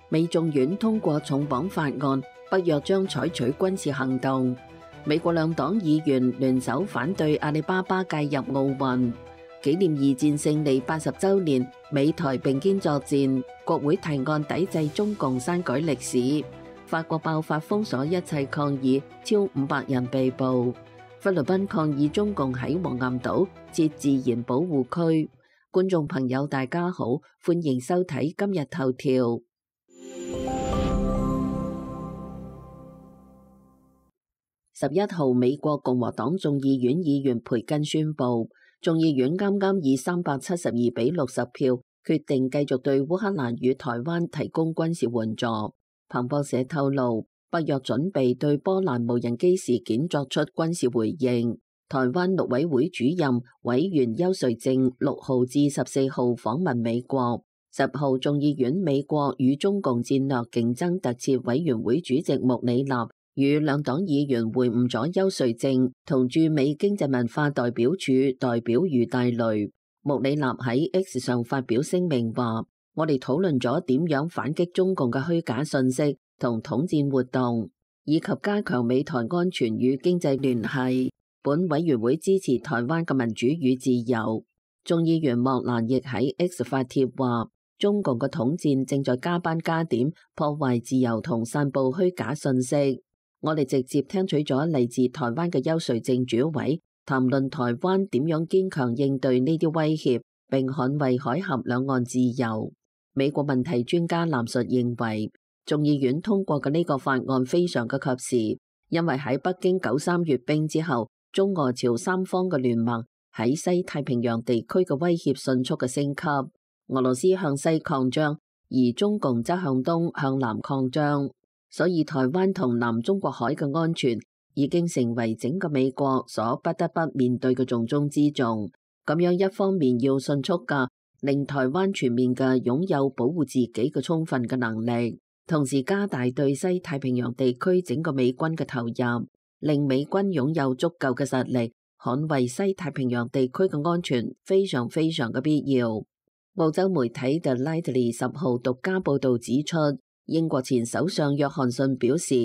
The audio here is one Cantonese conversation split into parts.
美眾院通過重綁法案，北約將採取軍事行動。美國兩黨議員聯手反對阿里巴巴介入奧運。紀念二戰勝利80週年，美台並肩作戰。國會提案抵制中共刪改歷史。法國爆發封鎖一切抗議，超500人被捕。菲律賓抗議中共喺黃岩島設自然保護區。觀眾朋友大家好，歡迎收睇今日頭條。11號，美國共和黨眾議院議員培根宣布，眾議院啱啱以372比60票決定繼續對烏克蘭與台灣提供軍事援助。彭博社透露，北約準備對波蘭無人機事件作出軍事回應。台灣陸委會主任委員邱瑞正6號至14號訪問美國。10號，眾議院美國與中共戰略競爭特設委員會主席穆里納與兩黨議員會晤咗邱瑞正同駐美經濟文化代表處代表余大雷。穆里納喺 X 上發表聲明話：我哋討論咗點樣反擊中共嘅虛假信息同統戰活動，以及加強美台安全與經濟聯繫。本委員會支持台灣嘅民主與自由。眾議員莫蘭亦喺 X 發帖話：中共嘅統戰正在加班加點破壞自由同散布虛假信息。我哋直接聽取咗嚟自台灣嘅邱瑞正主委談論台灣點樣堅強應對呢啲威脅，並捍衛海峽兩岸自由。美國問題專家藍述認為，眾議院通過嘅呢個法案非常嘅及時，因為喺北京93閱兵之後，中俄朝三方嘅聯盟喺西太平洋地區嘅威脅迅速嘅升級。俄羅斯向西擴張，而中共則向東向南擴張。所以台灣同南中國海嘅安全已經成為整個美國所不得不面對嘅重中之重。咁樣一方面要迅速嘅令台灣全面嘅擁有保護自己嘅充分嘅能力，同時加大對西太平洋地區整個美軍嘅投入，令美軍擁有足夠嘅實力捍衛西太平洋地區嘅安全，非常非常嘅必要。澳洲媒體 The Lightly 10號獨家報導指出，英國前首相約翰遜表示，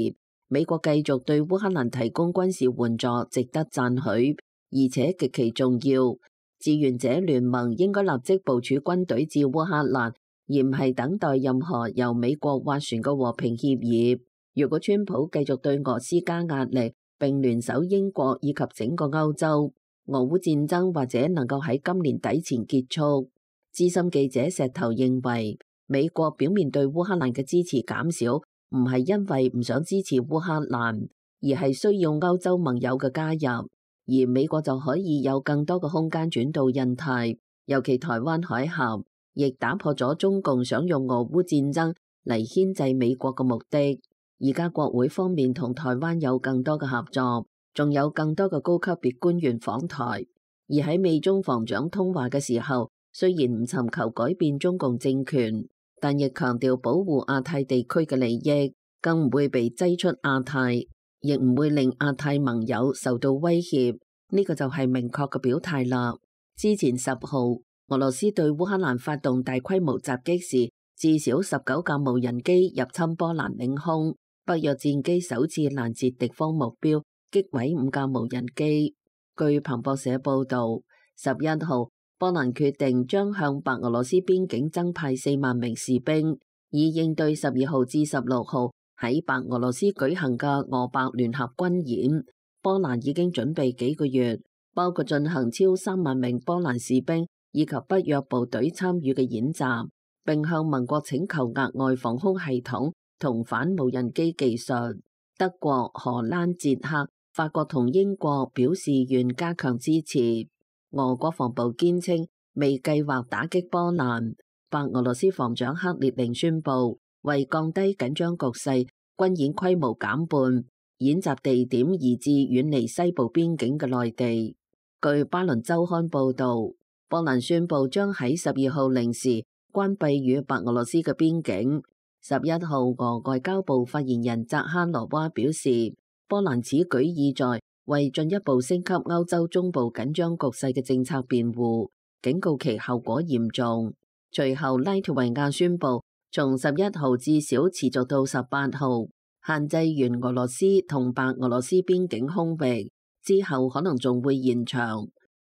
美國繼續對烏克蘭提供軍事援助值得讚許，而且極其重要。志願者聯盟應該立即部署軍隊至烏克蘭，而唔係等待任何由美國斡旋嘅和平協議。如果川普繼續對俄施加壓力，並聯手英國以及整個歐洲，俄烏戰爭或者能夠喺今年底前結束。資深記者石頭認為，美國表面對烏克蘭嘅支持減少，唔係因為唔想支持烏克蘭，而係需要歐洲盟友嘅加入，而美國就可以有更多嘅空間轉到印太，尤其台灣海峽，亦打破咗中共想用俄烏戰爭嚟牽制美國嘅目的。而家國會方面同台灣有更多嘅合作，仲有更多嘅高級別官員訪台，而喺美中防長通話嘅時候，雖然唔尋求改變中共政權，但亦強調保護亞太地區嘅利益，更唔會被擠出亞太，亦唔會令亞太盟友受到威脅。呢個就係明確嘅表態啦。之前10號，俄羅斯對烏克蘭發動大規模襲擊時，至少19架無人機入侵波蘭領空，北約戰機首次攔截敵方目標，擊毀5架無人機。據彭博社報導，11號，波蘭決定將向白俄羅斯邊境增派4萬名士兵，以應對12號至16號喺白俄羅斯舉行嘅俄白聯合軍演。波蘭已經準備幾個月，包括進行超3萬名波蘭士兵以及北約部隊參與嘅演習，並向盟國請求額外防空系統同反無人機技術。德國、荷蘭、捷克、法國同英國表示願加強支持。俄國防部堅稱未計劃打擊波蘭。白俄羅斯防長克列寧宣布，為降低緊張局勢，軍演規模減半，演習地點移至遠離西部邊境嘅內地。據巴倫週刊報導，波蘭宣布將喺12號零時關閉與白俄羅斯嘅邊境。11號，俄外交部發言人扎哈羅娃表示，波蘭此舉意在為進一步升級歐洲中部緊張局勢嘅政策辯護，警告其後果嚴重。隨後，拉脫維亞宣布從11號至少持續到18號，限制完俄羅斯同白俄羅斯邊境空域之後，可能仲會延長。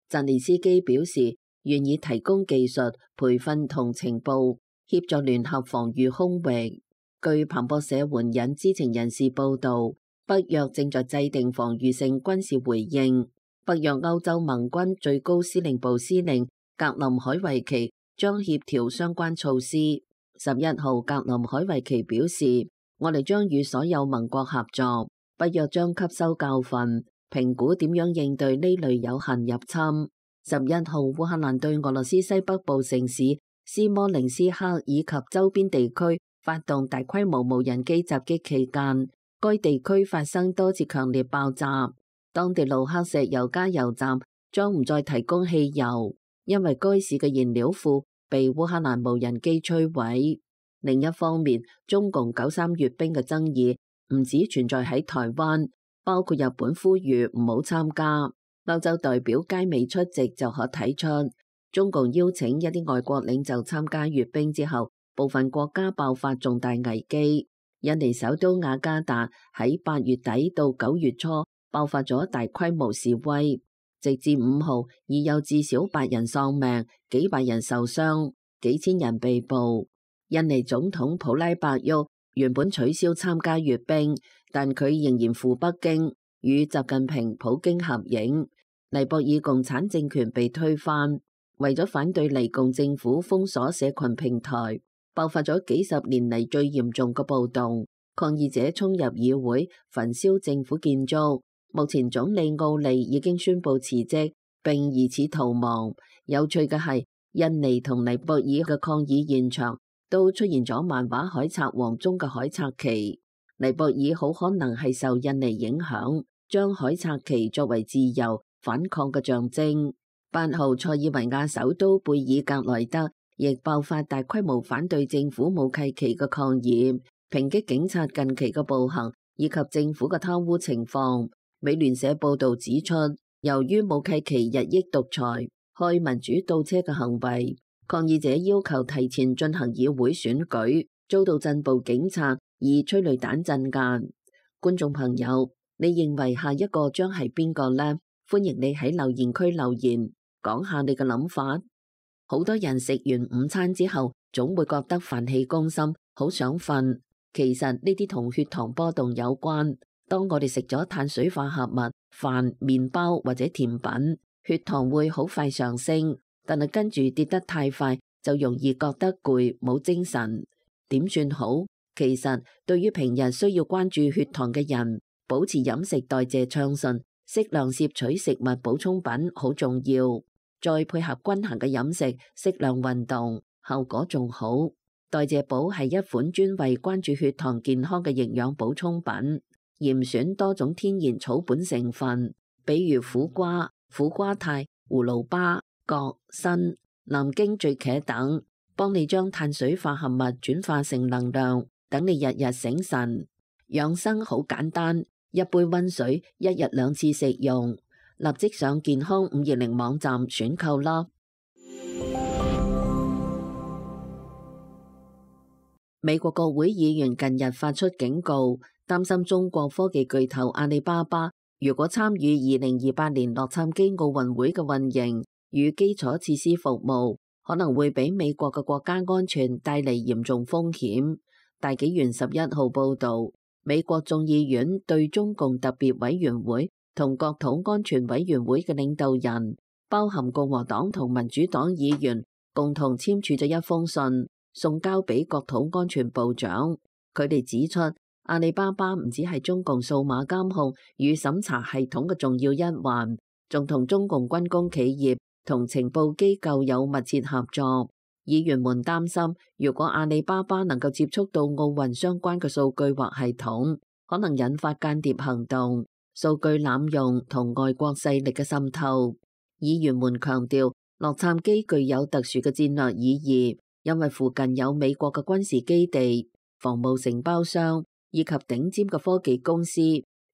澤連斯基表示願意提供技術、培訓同情報，協助聯合防禦空域。據彭博社援引知情人士報導，北約正在制定防禦性軍事回應。北約歐洲盟軍最高司令部司令格林海維奇將協調相關措施。11號，格林海維奇表示，我哋將與所有盟國合作，北約將吸收教訓，評估點樣應對呢類有限入侵。11號，烏克蘭對俄羅斯西北部城市斯摩棱斯克以及周邊地區發動大規模無人機襲擊期間，該地區發生多次強烈爆炸。當地盧克石油加油站將唔再提供汽油，因為該市嘅燃料庫被烏克蘭無人機摧毀。另一方面，中共93閱兵嘅爭議唔止存在喺台灣，包括日本呼籲唔好參加。歐洲代表皆未出席，就可睇出中共邀請一啲外國領袖參加閱兵之後，部分國家爆發重大危機。印尼首都雅加達喺8月底到9月初爆發咗大規模示威，直至5號已有至少8人喪命，幾百人受傷，幾千人被捕。印尼總統普拉伯沃原本取消參加閱兵，但佢仍然赴北京與習近平、普京合影。尼泊爾共產政權被推翻，為咗反對尼共政府封鎖社群平台，爆發咗幾十年嚟最嚴重嘅暴動，抗議者衝入議會，焚燒政府建築。目前總理奧利已經宣布辭職，並疑似逃亡。有趣嘅係，印尼同尼泊爾嘅抗議現場都出現咗漫畫《海賊王》中嘅海賊旗。尼泊爾好可能係受印尼影響，將海賊旗作為自由反抗嘅象徵。8號，塞爾維亞首都貝爾格萊德亦爆發大規模反對政府武契期嘅抗議，抨擊警察近期嘅暴行以及政府嘅貪污情況。美聯社報導指出，由於武契期日益獨裁、開民主倒車嘅行為，抗議者要求提前進行議會選舉，遭到鎮暴警察以催淚彈鎮壓。觀眾朋友，你認為下一個將係邊個呢？歡迎你喺留言區留言，講下你嘅諗法。好多人食完午餐之後，總會覺得飯氣攻心，好想瞓。其實呢啲同血糖波動有關。當我哋食咗碳水化合物、飯、麵包或者甜品，血糖會好快上升，但係跟住跌得太快，就容易覺得攰，冇精神。點算好？其實對於平日需要關注血糖嘅人，保持飲食代謝暢順，適量攝取食物補充品好重要，再配合均衡嘅飲食，適量運動，效果仲好。代謝寶係一款專為關注血糖健康嘅營養補充品，嚴選多種天然草本成分，比如苦瓜、苦瓜肽、葫蘆巴、葛、參、南京醉茄等，幫你將碳水化合物轉化成能量，等你日日醒神。養生好簡單，一杯溫水，一日2次食用。立即上健康520網站選購啦！美國國會議員近日發出警告，擔心中國科技巨頭阿里巴巴如果參與2028年洛杉磯奧運會嘅運營與基礎設施服務，可能會俾美國嘅國家安全帶嚟嚴重風險。大紀元11號報導，美國眾議院對中共特別委員會同國土安全委員會嘅領導人，包含共和黨同民主黨議員，共同簽署咗一封信，送交俾國土安全部長。佢哋指出，阿里巴巴唔止係中共數碼監控與審查系統嘅重要一環，仲同中共軍工企業同情報機構有密切合作。議員們擔心，如果阿里巴巴能夠接觸到奧運相關嘅數據或系統，可能引發間諜行動、數據濫用同外國勢力嘅滲透。議員們強調，洛杉磯具有特殊嘅戰略意義，因為附近有美國嘅軍事基地、防務承包商以及頂尖嘅科技公司。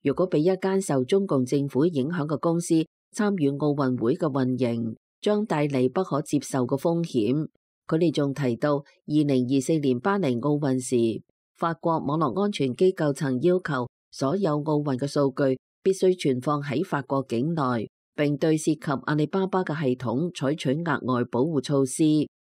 如果俾一間受中共政府影響嘅公司參與奧運會嘅運營，將帶嚟不可接受嘅風險。佢哋仲提到2024年巴黎奧運時，法國網絡安全機構曾要求所有奧運嘅數據必須存放喺法國境內，並對涉及阿里巴巴嘅系統採取額外保護措施，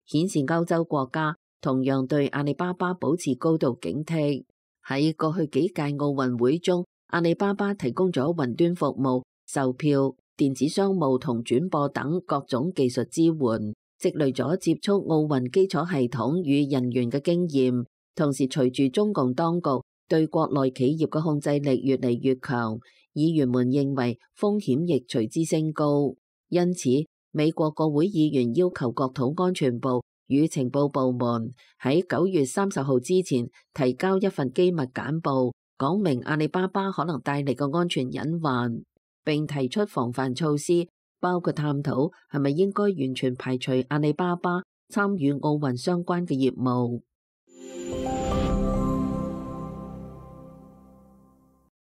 顯示歐洲國家同樣對阿里巴巴保持高度警惕。喺過去幾屆奧運會中，阿里巴巴提供咗雲端服務、售票、電子商務同轉播等各種技術支援，積累咗接觸奧運基礎系統與人員嘅經驗。同時，隨住中共當局對國內企業嘅控制力越嚟越強，議員們認為風險亦隨之升高。因此，美國國會議員要求國土安全部與情報部門喺9月30號之前提交一份機密簡報，講明阿里巴巴可能帶嚟嘅安全隱患，並提出防範措施，包括探討係咪應該完全排除阿里巴巴參與奧運相關嘅業務。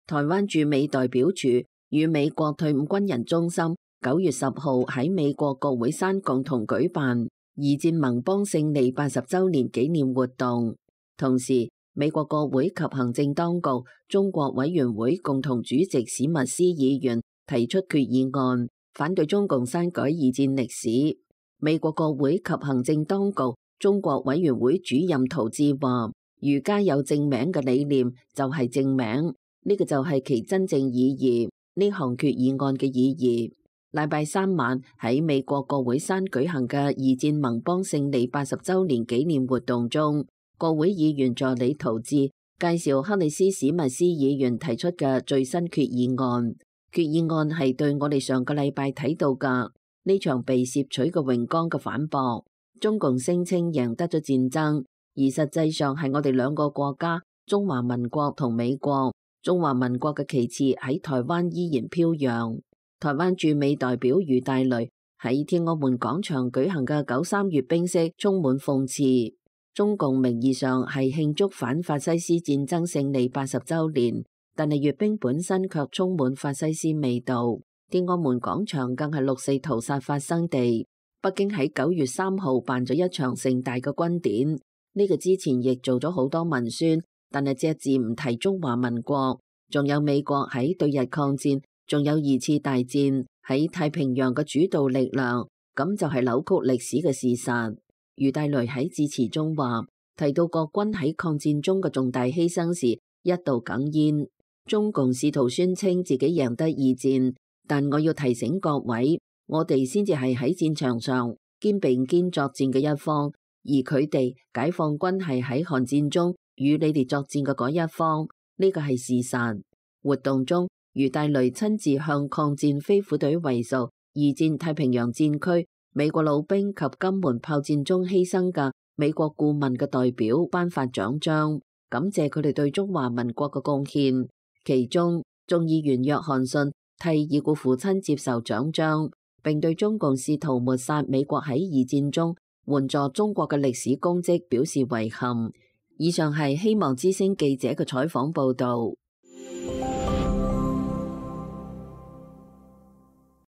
台灣駐美代表處與美國退伍軍人中心9月10號喺美國國會山共同舉辦二戰盟邦勝利80週年紀念活動。同時，美國國會及行政當局中國委員會共同主席史密斯議員提出決議案，反對中共刪改二戰歷史。美國國會及行政當局中國委員會主任陶志話：儒家有正名嘅理念就係正名。呢個就係其真正意義，呢項決議案嘅意義。禮拜三晚喺美國國會山舉行嘅二戰盟邦勝利80週年紀念活動中，國會議員助理陶志介紹克里斯史密斯議員提出嘅最新決議案。決議案係對我哋上個禮拜睇到嘅呢場被竊取嘅榮光嘅反駁。中共聲稱贏得咗戰爭，而實際上係我哋兩個國家，中華民國同美國。中華民國嘅旗幟喺台灣依然飄揚。台灣駐美代表余大雷喺天安門廣場舉行嘅93閱兵式充滿諷刺。中共名義上係慶祝反法西斯戰爭勝利80週年，但係閱兵本身卻充滿法西斯味道。天安門廣場更係6四屠殺發生地。北京喺9月3號辦咗一場盛大嘅軍典，呢個之前亦做咗好多文宣。但係隻字唔提中華民國，仲有美國喺對日抗戰，仲有二次大戰喺太平洋嘅主導力量，咁就係扭曲歷史嘅事實。余大雷喺致辭中話，提到國軍喺抗戰中嘅重大犧牲時，一度哽咽。中共試圖宣稱自己贏得二戰，但我要提醒各位，我哋先至係喺戰場上肩並肩作戰嘅一方，而佢哋解放軍係喺韓戰中與你哋作戰嘅嗰一方，呢個係事實。活動中，余大雷親自向抗戰飛虎隊為屬二戰太平洋戰區美國老兵及金門炮戰中犧牲嘅美國顧問嘅代表頒發獎章，感謝佢哋對中華民國嘅貢獻。其中，眾議員約翰遜替已故父親接受獎章，並對中共試圖抹殺美國喺二戰中援助中國嘅歷史功績表示遺憾。以上係希望之聲記者嘅採訪報導。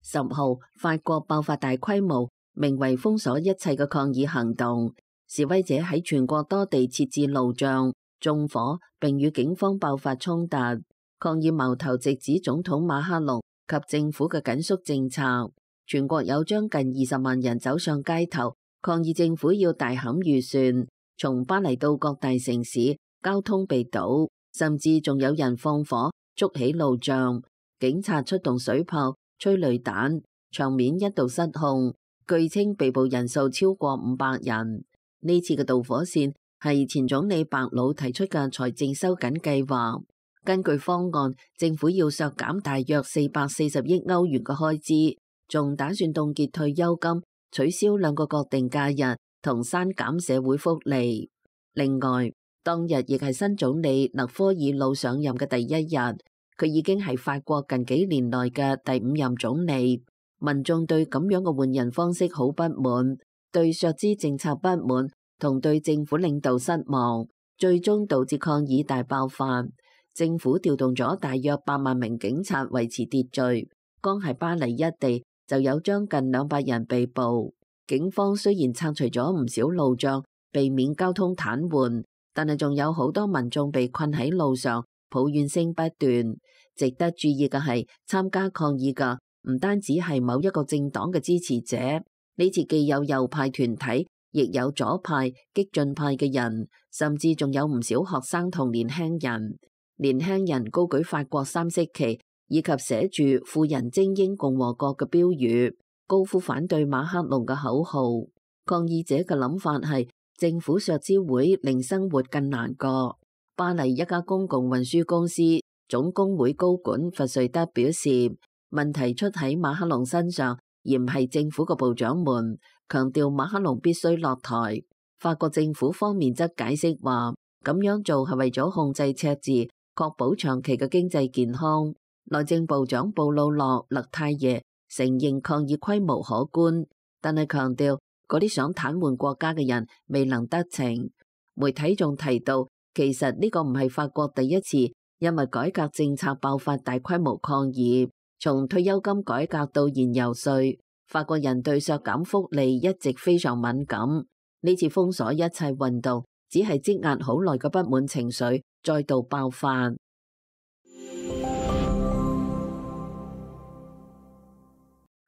10號，法國爆發大規模名為封鎖一切嘅抗議行動，示威者喺全國多地設置路障、縱火，並與警方爆發衝突。抗議矛頭直指總統馬克龍及政府嘅緊縮政策。全國有將近20萬人走上街頭，抗議政府要大砍預算。從巴黎到各大城市，交通被堵，甚至仲有人放火築起路障。警察出動水炮、催淚彈，場面一度失控。據稱被捕人數超過500人。呢次嘅導火線係前總理白魯提出嘅財政收緊計劃。根據方案，政府要削減大約440億歐元嘅開支，仲打算凍結退休金、取消2個國定假日同刪減社會福利。另外，當日亦係新總理勒科爾魯上任嘅第一日，佢已經係法國近幾年內嘅第5任總理。民眾對咁樣嘅換人方式好不滿，對削資政策不滿，同對政府領導失望，最終導致抗議大爆發。政府調動咗大約8萬名警察維持秩序，光係巴黎一地就有將近200人被捕。警方雖然拆除咗唔少路障，避免交通癱瘓，但係仲有好多民眾被困喺路上，抱怨聲不斷。值得注意嘅係，參加抗議嘅唔單止係某一個政黨嘅支持者，呢次既有右派團體，亦有左派、激進派嘅人，甚至仲有唔少學生同年輕人。年輕人高舉法國三色旗，以及寫住富人精英共和國嘅標語，高呼反對馬克龍嘅口號。抗議者嘅諗法係政府削資會令生活更難過。巴黎一家公共運輸公司總工會高管弗瑞德表示，問題出喺馬克龍身上，而唔係政府嘅部長們，強調馬克龍必須落台。法國政府方面則解釋話，咁樣做係為咗控制赤字，確保長期嘅經濟健康。內政部長布魯諾勒泰耶承認抗議規模可觀，但係強調嗰啲想癱瘓國家嘅人未能得逞。媒體仲提到，其實呢個唔係法國第一次因為改革政策爆發大規模抗議。從退休金改革到燃油稅，法國人對削減福利一直非常敏感。呢次封鎖一切運動，只係積壓好耐嘅不滿情緒再度爆發。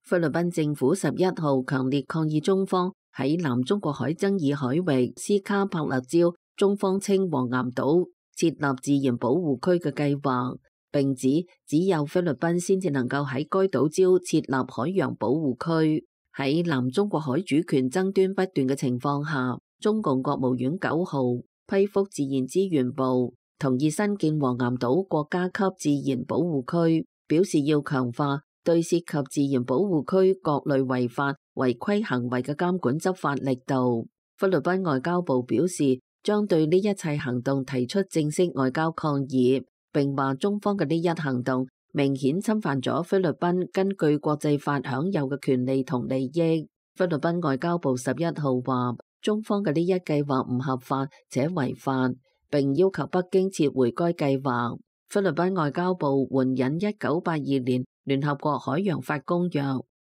菲律賓政府11號強烈抗議中方喺南中國海爭議海域斯卡帕勒礁，中方稱黃岩島設立自然保護區嘅計劃，並指只有菲律賓先至能夠喺該島礁設立海洋保護區。喺南中國海主權爭端不斷嘅情況下，中共國務院9號批覆自然資源部，同意新建黃岩島國家級自然保護區，表示要強化對涉及自然保護區各類違法違規行為嘅監管執法力度。菲律賓外交部表示，將對呢一切行動提出正式外交抗議，並話中方嘅呢一行動明顯侵犯咗菲律賓根據國際法享有嘅權利同利益。菲律賓外交部11號話，中方嘅呢一計劃唔合法且違法，並要求北京撤回該計劃。菲律賓外交部援引1982年聯合國海洋法公約、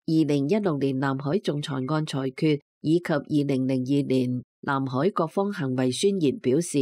2016年南海仲裁案裁決以及2002年南海各方行為宣言表示，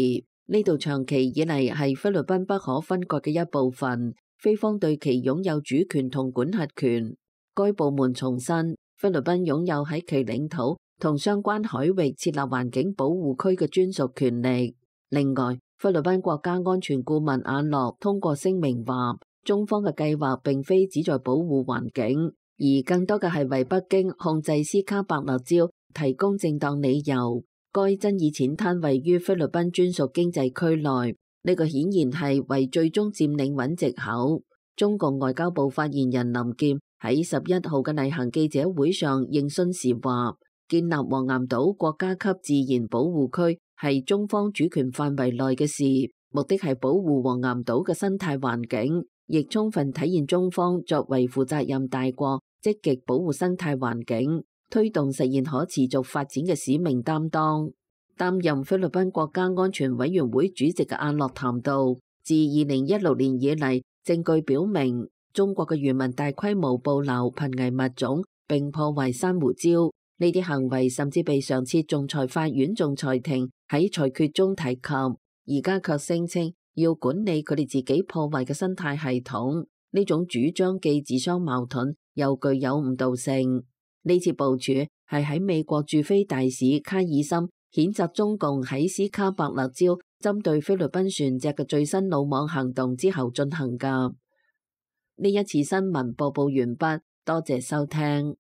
呢度長期以嚟係菲律賓不可分割嘅一部分，菲方對其擁有主權同管轄權。該部門重申，菲律賓擁有喺其領土同相關海域設立環境保護區嘅專屬權力。另外，菲律賓國家安全顧問阿諾通過聲明話，中方嘅計劃並非旨在保護環境，而更多嘅係為北京控制斯卡伯勒礁提供正當理由。該爭議淺灘位於菲律賓專屬經濟區內，呢個顯然係為最終佔領揾藉口。中共外交部發言人林劍喺11號嘅例行記者會上應詢時話，建立黃岩島國家級自然保護區係中方主權範圍內嘅事，目的係保護黃岩島嘅生態環境，亦充分體現中方作為負責任大國積極保護生態環境，推動實現可持續發展嘅使命擔當。擔任菲律賓國家安全委員會主席嘅阿諾談到，自2016年以嚟，證據表明中國嘅漁民大規模捕撈瀕危物種並破壞珊瑚礁，呢啲行為甚至被上次仲裁法院仲裁庭喺裁決中提及，而家卻聲稱要管理佢哋自己破壞嘅生態系統。呢種主張既自相矛盾又具有誤導性。呢次部署係喺美國駐菲大使卡爾森譴責中共喺斯卡伯勒礁針對菲律賓船隻嘅最新魯莽行動之後進行㗎。呢一次新聞播報完畢，多謝收聽。